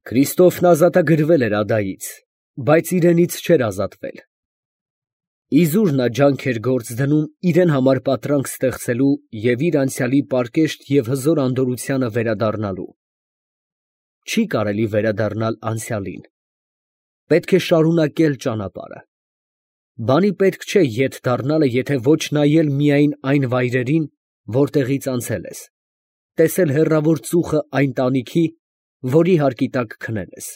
Քրիստոֆն ազատագրվել էր ադայից, բայց իրենից չէր ազատվել։ Իզուր նա ջանք էր գործ դնում իրեն համար պատրանք ստեղծելու և իր անցյալի պարկեշտ և հզոր անդորրությանը վերադառնալու։ Չի կարելի վերադառնալ անցյալին։ Պետք է շարունակել ճանապարհը։ Բանի պետք չէ ետ դառնալը, եթե ոչ նայել միայն այն վայրերին, որտեղից անցել ես, տեսել հեռավոր ծուխը այն տանիքի, որի հարկի տակ քնել ես,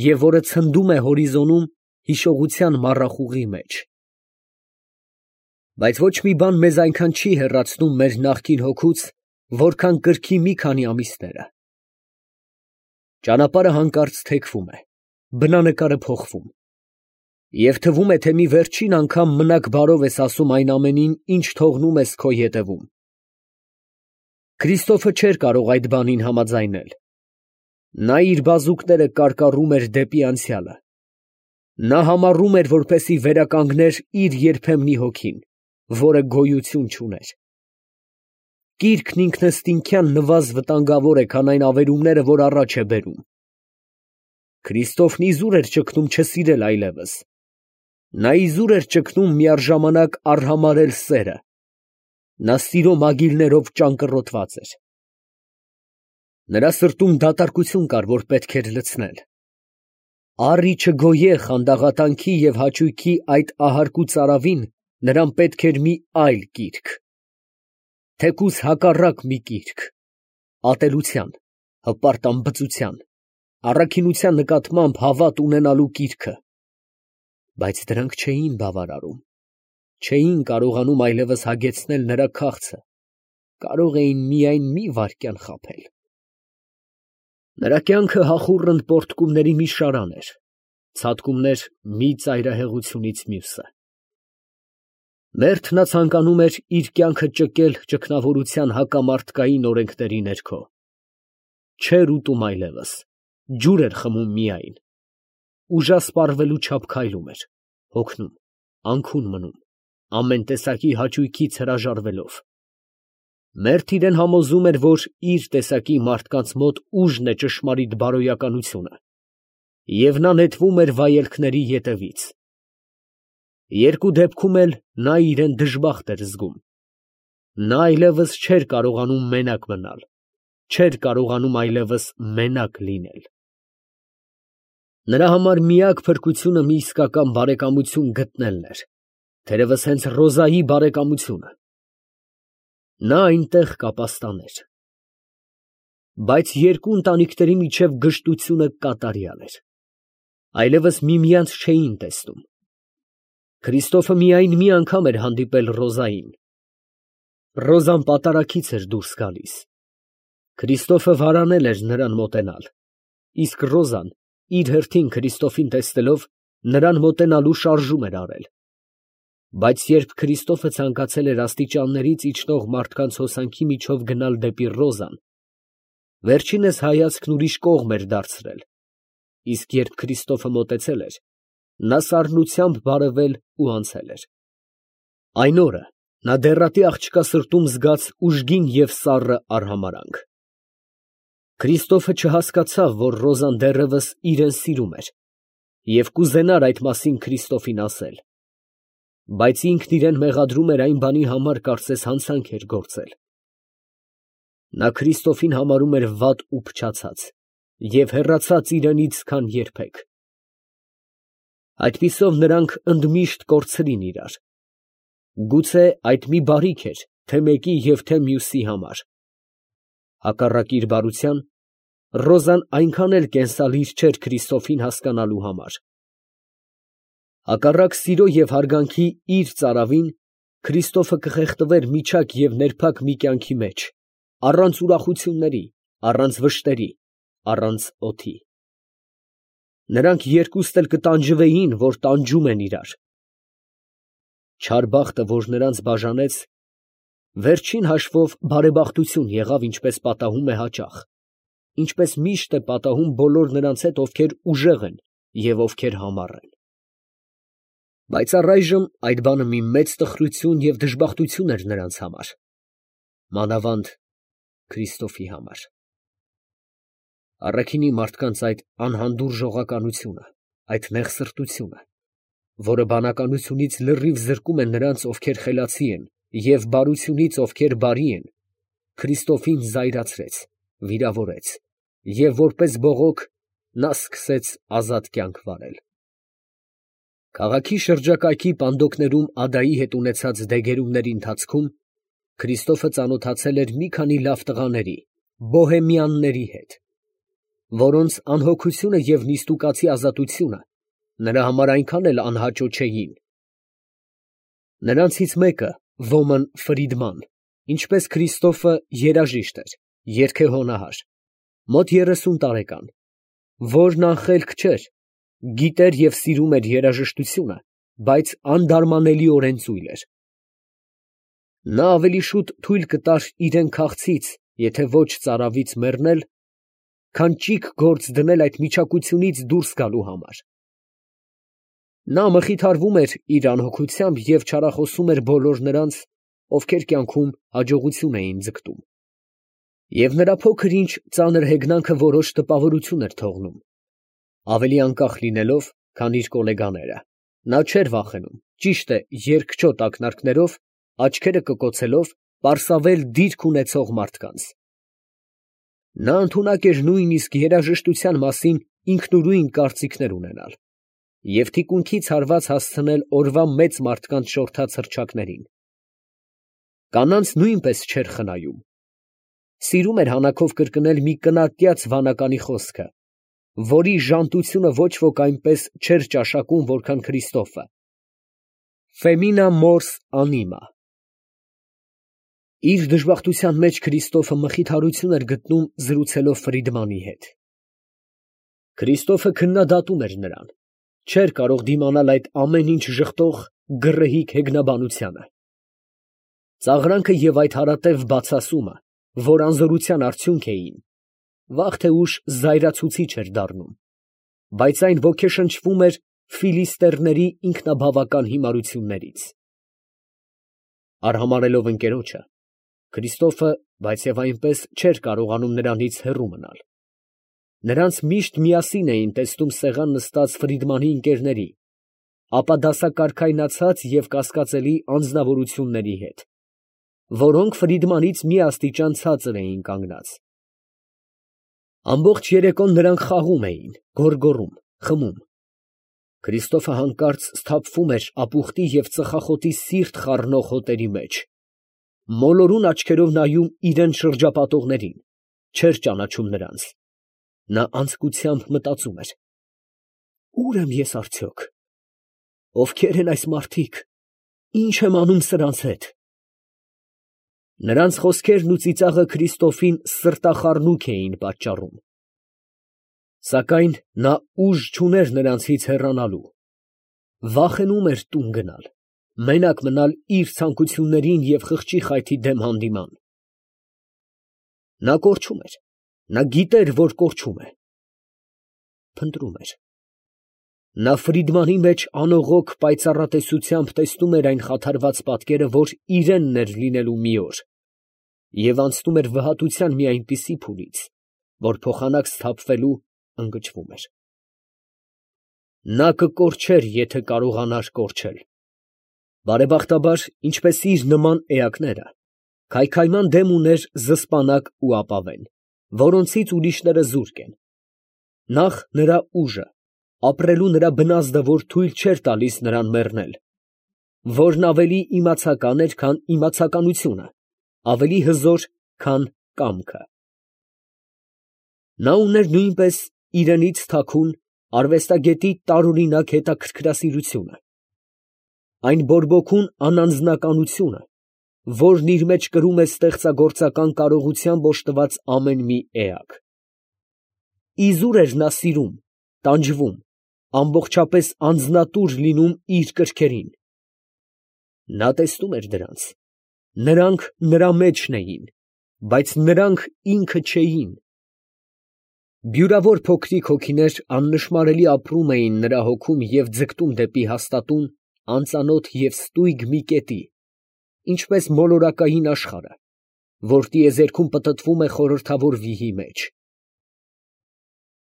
և որը ցնդում է հորիզոնում հիշողության մառախուղի մեջ։ Բայց ոչ մի բան մեզ այնքան չի հեռացնում մեր նախկին հոգուց, որքան կրքի մի քանի ամիսները։ Ճանապարհը հանկարծ թեքվում է, բնանկարը փոխվում, և թվում է, թե մի վերջին անգամ մնաք բարով ես ասում այն ամենին, ինչ թողնում ես քո ետևում։ Քրիստոֆը չէր կարող այդ բանին համաձայնել։ Նա իր բազուկները կարկառում էր դեպի անցյալը։ Նա համառում էր, որպեսզի վերականգներ իր երբեմնի հոգին, որը գոյություն չուներ։ Կիրքն ինքնըստինքյան նվազ վտանգավոր է, քան այն ավերումները, որ առաջ է բերում։ Քրիստոֆն իզուր էր ճգնում չսիրել այլևս։ Նա իզուր էր ճգնում միառժամանակ արհամարհել սերը։ Նա սիրո մագիլներով ճանկռոտված էր։ Նրա սրտում դատարկություն կար, որ պետք էր լցնել։ Առ ի չգոյե խանդաղատանքի և հաճույքի այդ ահարկու ծարավին նրան պետք էր մի այլ կիրք, թեկուզ հակառակ մի կիրք, ատելության, հպարտ անբծության, առաքինության նկատմամբ հավատ ունենալու կիրքը։ Բայց դրանք չէին բավարարում, չէին կարողանում այլևս հագեցնել նրա քաղցը, կարող էին միայն մի վայրկյան խաբել։ Նրա կյանքը հախուռն պոռթկումների մի շարան էր, ցատկումներ մի ծայրահեղությունից մյուսը։ Մերթ նա ցանկանում էր իր կյանքը ճկել ճգնավորության հակամարդկային օրենքների ներքո։ Չէր ուտում այլևս, ջուր էր խմում միայն, ուժասպառվելու չափ քայլում էր, հոգնում, անքուն մնում, ամեն տեսակի հաճույքից հրաժարվելով։ Մերթ իրան համոզում էր, որ իր տեսակի մարդկանց մոտ ուժն է ճշմարիտ բարոյականությունը, և նա նետվում էր վայելքների ետևից։ Երկու դեպքում էլ նա իրան դժբախտ էր զգում։ Նա այլևս չէր կարողանում մենակ մնալ, չէր կարողանում այլևս մենակ լինել։ Նրա համար միակ փրկությունը մի իսկական բարեկամություն գտնելն էր, թերևս հենց Ռոզայի բարեկամությունը։ Նա այնտեղ կապաստաներ։ Բայց երկու ընտանիքների միջև գժտությունը կատարյալ էր։ Այլևս միմյանց չէին տեսնում։ Քրիստոֆը միայն մի անգամ էր հանդիպել Ռոզային։ Ռոզան պատարագից էր դուրս գալիս։ Քրիստոֆը վարանել էր նրան մոտենալ, իսկ Ռոզան, իր հերթին Քրիստոֆին տեսնելով, նրան մոտենալու շարժում էր արել։ Բայց երբ Քրիստոֆը ցանկացել էր աստիճաններից իջնող մարդկանց հոսանքի միջով գնալ դեպի Ռոզան, վերջինս հայացքն ուրիշ կողմ էր դարձրել, իսկ երբ Քրիստոֆը մոտեցել էր, նա սառնությամբ բարևել ու անցել էր։ Այն օրը նա դեռատի աղջկա սրտում զգաց ուժգին և սառը արհամարհանք։ Քրիստոֆը չհասկացավ, որ Ռոզան դեռևս իրան սիրում էր, և կուզենար այդ մասին Քրիստոֆին ասել, բայց ինքն իրան մեղադրում էր այն բանի համար, կարծես հանցանք էր գործել։ Նա Քրիստոֆին համարում էր վատ ու փչացած և հեռացած իրանից, քան երբեք։ Այդպիսով նրանք ընդմիշտ կորցրին իրար։ Գուցե այդ մի բարիք էր թե մեկի և թե մյուսի համար։ Հակառակ իր բարության, Ռոզան այնքան էլ կենսալիր չէր Քրիստոֆին հասկանալու համար։ Հակառակ սիրո և հարգանքի իր ծարավին, Քրիստոֆը կխեղդվեր միջակ և ներփակ մի կյանքի մեջ, առանց ուրախությունների, առանց վշտերի, առանց օդի։ Նրանք երկուստ էլ կտանջվեին, որ տանջում են իրար։ Չար բախտը, որ նրանց բաժանեց, վերջին հաշվով բարեբախտություն եղավ, ինչպես պատահում է հաճախ, ինչպես միշտ է պատահում բոլոր նրանց հետ, ովքեր ուժեղ են և ովքեր համառ են։ Բայց առայժմ այդ բանը մի մեծ տխրություն և դժբախտություն էր նրանց համար, մանավանդ Քրիստոֆի համար։ Առաքինի մարդկանց այդ անհանդուրժողականությունը, այդ նեղսրտությունը, որը բանականությունից լրիվ զրկում է նրանց, ովքեր խելացի են, և բարությունից, ովքեր բարի են, Քրիստոֆին զայրացրեց, վիրավորեց, և որպես բողոք նա սկսեց ազատ կյանք վարել։ Քաղաքի շրջակայքի պանդոկներում ադայի հետ ունեցած դեգերումների ընթացքում Քրիստոֆը ծանոթացել էր մի քանի լավ տղաների, բոհեմյանների հետ, որոնց անհոգությունը և նիստուկացի ազատությունը նրա համար այնքան էլ անհաճո չէին։ Նրանցից մեկը, Ոմն Ֆրիդման, ինչպես Քրիստոֆը, երաժիշտ էր, երգեհոնահար, մոտ 30 տարեկան, որն անխելք չէր, գիտեր և սիրում էր երաժշտությունը, բայց անդարմանելիորեն ծույլ էր։ Նա ավելի շուտ թույլ կտար իրեն քաղցից, եթե ոչ ծարավից մեռնել, քան ճիգ գործ դնել այդ միչակությունից դուրս գալու համար։ Նա մխիթարվում էր իր անհոգությամբ և չարախոսում էր բոլոր նրանց, ովքեր կյանքում հաջողություն էին ձգտում, և նրա փոքր ինչ ծանր հեգնանքը որոշ տպավորություն էր թողնում։ Ավելի անկախ լինելով, քան իր գոլեգաները, նա չէր վախենում, ճիշտ է, երկչոտ ակնարկներով, աչքերը կկոցելով, պարսավել դիրք ունեցող մարդկանց։ Նա ընդունակ էր նույնիսկ երաժշտության մասին ինքնուրույն կարծիքներ ունենալ և թիկունքից հարված հասցնել օրվա մեծ մարդկանց շորթած հռչակներին։ Կանանց նույնպես չէր խնայում։ Սիրում էր հանակով կրկնել մի կնատյաց վանականի խոսքը, որի ժանտությունը ոչ ոք այնպես չէր ճաշակում, որքան Քրիստոֆը. Femina mors anima։ Իր դժբախտության մեջ Քրիստոֆը մխիթարություն էր գտնում զրուցելով Ֆրիդմանի հետ։ Քրիստոֆը քննադատում էր նրան, չէր կարող դիմանալ այդ ամեն ինչ ժխտող գռեհիկ հեգնաբանությանը։ Ծաղրանքը և այդ հարատև բացասումը, որ անզորության արդյունք էին, վաղ թե ուշ զայրացուցիչ էր դառնում, բայց այն ոգեշնչվում էր ֆիլիստերների ինքնաբավական հիմարություններից։ Արհամարհելով ընկերոջը, Քրիստոֆը, բայց և այնպես չէր կարողանում նրանից հեռու մնալ։ Նրանց միշտ միասին էին տեսնում սեղան նստած Ֆրիդմանի ընկերների, ապա դասակարգայնացած և կասկածելի անձնավորությունների հետ, որոնք Ֆրիդմանից մի աստիճան ցածր էին կանգնած։ Ամբողջ երեկոն նրանք խաղում էին, գոռգոռում, խմում։ Քրիստոֆը հանկարծ սթափվում էր ապուխտի և ծխախոտի սիրտ խառնող հոտերի մեջ, մոլորուն աչքերով նայում իրան շրջապատողներին, չէր ճանաչում նրանց։ Նա անձկությամբ մտածում էր. «Ո՞ւր եմ ես արդյոք, ովքեր են այս մարդիկ, ի՞նչ եմ անում սրանց հետ»։ Նրանց խոսքերն ու ծիծաղը Քրիստոֆին սրտախառնուք էին պատճառում։ Սակայն նա ուժ չուներ նրանցից հեռանալու, վախենում էր տուն գնալ, մենակ մնալ իր ցանկություններին և խղճի խայթի դեմ հանդիման։ Նա կորչում էր, նա գիտեր, որ կորչում է, փնտրում էր։ Նա Ֆրիդմանի մեջ անողոք պայծառատեսությամբ տեսնում էր այն խաթարված պատկերը, որ իրենն էր լինելու մի օր, և անցնում էր վհատության մի այնպիսի փուլից, որ փոխանակ սթափվելու ընկճվում էր։ Նա կկորչեր, եթե կարողանար կորչել։ Բարեբախտաբար, ինչպես իր նման էակները, քայքայման դեմ ուներ զսպանակ ու ապավեն, որոնցից ուրիշները զուրկ են։ Նախ նրա ուժը, ապրելու նրա բնազդը, որ թույլ չէր տալիս նրան մեռնել, որն ավելի իմացական էր, քան իմացականությունը, ավելի հզոր, քան կամքը։ Նա ուներ նույնպես իրենից թաքուն, արվեստագետի տարօրինակ հետաքրքրասիրությունը, այն բորբոքուն անանձնականությունը, որն իր մեջ կրում է ստեղծագործական կարողությամբ օժտված ամեն մի էակ։ Իզուր էր նա սիրում, տանջվում, ամբողջապես անձնատուր լինում իր կրքերին։ Նա տեսնում էր դրանց, նրանք նրա մեջն էին, բայց նրանք ինքը չէին։ Բյուրավոր փոքրիկ հոգիներ աննշմարելի ապրում էին նրա հոգում և ձգտում դեպի հաստատուն, անծանոթ և ստույգ մի կետի, ինչպես մոլորակային աշխարհը, որ տիեզերքում պտտվում է խորհրդավոր վիհի մեջ։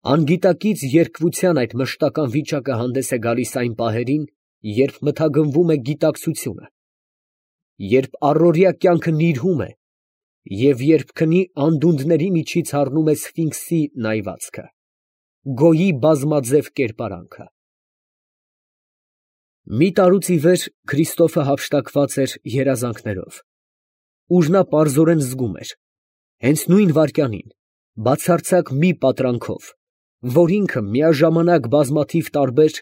Անգիտակից երկվության այդ մշտական վիճակը հանդես է գալիս այն պահերին, երբ մթագնվում է գիտակցությունը, երբ առօրյա կյանքը նիրհում է և երբ քնի անդունդների միջից հառնում է սֆինքսի նայվածքը, գոյի բազմաձև կերպարանքը։ Մի տարուց ի վեր Քրիստոֆը հափշտակված էր երազանքներով, ուր նա պարզորեն զգում էր, հենց նույն վայրկյանին, բացարձակ մի պատրանքով, որ ինքը միաժամանակ բազմաթիվ տարբեր,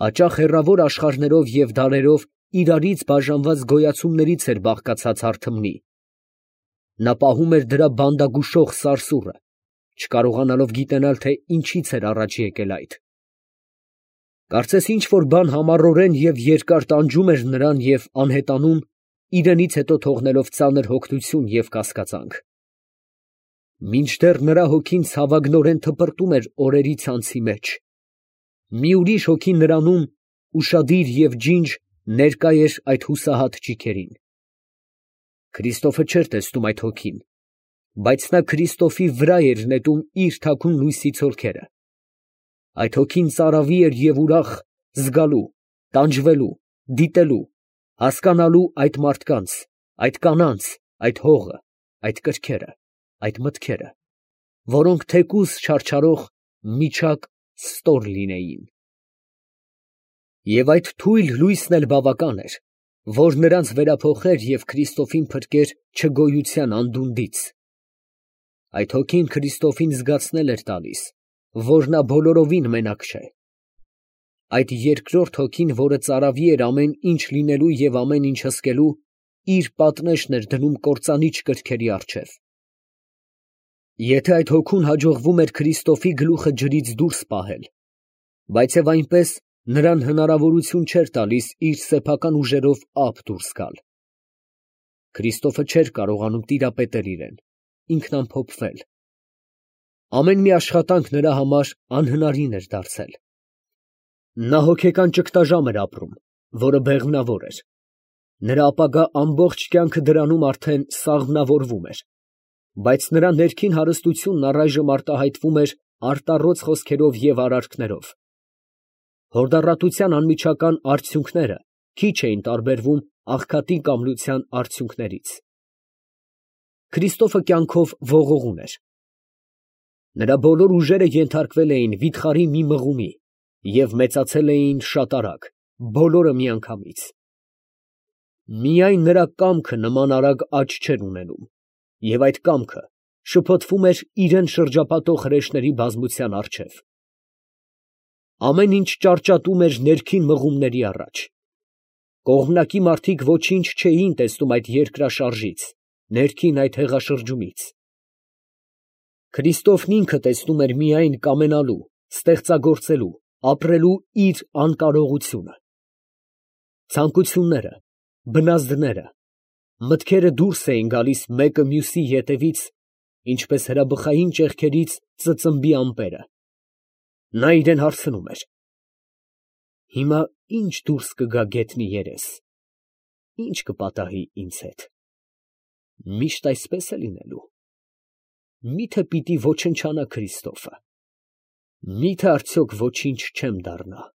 հաճախ հեռավոր աշխարհներով և դարերով իրարից բաժանված գոյացումներից էր բաղկացած հարթմնի, նա պահում էր դրա բանդագուշող սարսուռը, չկարողանալով գիտենալ, թե ինչից էր առաջ եկել այդ։ Կարծես ինչ֊որ բան համառորեն և երկար տանջում էր նրան և անհետանում, իրենից հետո թողնելով ծանր հոգնություն և կասկածանք։ Մինչդեռ նրա հոգին ցավագնորեն թպրտում էր օրերի ցանցի մեջ, մի ուրիշ հոգի նրանում, ուշադիր և ջինջ, ներկա էր այդ հուսահատ ճիգերին։ Քրիստոֆը չէր տեսնում այդ հոգին, բայց նա Քրիստոֆի վրա էր նետում իր թաքուն լույսի ցոլքերը։ Այդ հոգին ծարավի էր և ուրախ, զգալու, տանջվելու, դիտելու, հասկանալու այդ մարդկանց, այդ կանանց, այդ հողը, այդ կրքերը, այդ մտքերը, որոնք թեկուզ չարչարող միջակ ստոր լինեին։ Եվ այդ թույլ լույսն էլ բավական էր, որ նրանց վերափոխեր և Քրիստոֆին փրկեր չգոյության անդունդից։ Այդ հոգին Քրիստոֆին զգացնել էր տալիս, որ նա բոլորովին մենակ չէ։ Այդ երկրորդ հոգին, որը ծարավի էր ամեն ինչ լինելու և ամեն ինչ հսկելու, իր պատնեշն էր դնում կործանիչ կրքերի առջև։ Եթե այդ հոգուն հաջողվում էր Քրիստոֆի գլուխը ջրից դուրս պահել, բացև այնպես նրան հնարավորություն չէր տալիս իր սեփական ուժերով ափ դուրս գալ։ Քրիստոֆը չէր կարողանում տիրապետել իրեն, ինքնամփոփվել։ Ամեն մի աշխատանք նրա համար անհնարին էր դարձել։ Նա հոգեկան ճգտաժամ էր ապրում, որը բեղմնավոր էր։ Նրա ապագա ամբողջ կյանքը դրանում արդեն սաղմնավորվում էր, բայց նրա ներքին հարստությունն առայժմ արտահայտվում էր արտառոց խոսքերով և արարքներով։ Հորդառատության անմիջական արդյունքները քիչ էին տարբերվում աղքատի կամլության արդյունքներից։ Քրիստոֆը կյանքով ողողուն էր։ Նրա բոլոր ուժերը ենթարկվել էին վիթխարի մի մղումի և մեծացել էին շատ արագ, բոլորը միանգամից։ Միայն նրա կամքը նման արագ աճ չէր ունենում, և այդ կամքը շփոթվում էր իրան շրջապատող հրեշների բազմության առջև։ Ամեն ինչ ճարճատում էր ներքին մղումների առաջ։ Կողմնակի մարդիկ ոչինչ չէին տեսնում այդ երկրաշարժից, ներքին այդ հեղաշրջումից։ Քրիստոֆն ինքը տեսնում էր միայն կամենալու, ստեղծագործելու, ապրելու իր անկարողությունը։ Ցանկությունները, բնազդները, մտքերը դուրս էին գալիս մեկը մյուսի ետևից, ինչպես հրաբխային ճեղքերից ծծմբի ամպերը։ Նա իրան հարցնում էր. «Հիմա ի՞նչ դուրս կգա գետնի երես, ի՞նչ կպատահի ինձ հետ։ Միշտ այսպես է լինելու։ Մի՞թե պիտի ոչնչանա Քրիստոֆը, մի՞թե արդյոք ոչինչ չեմ դառնա»։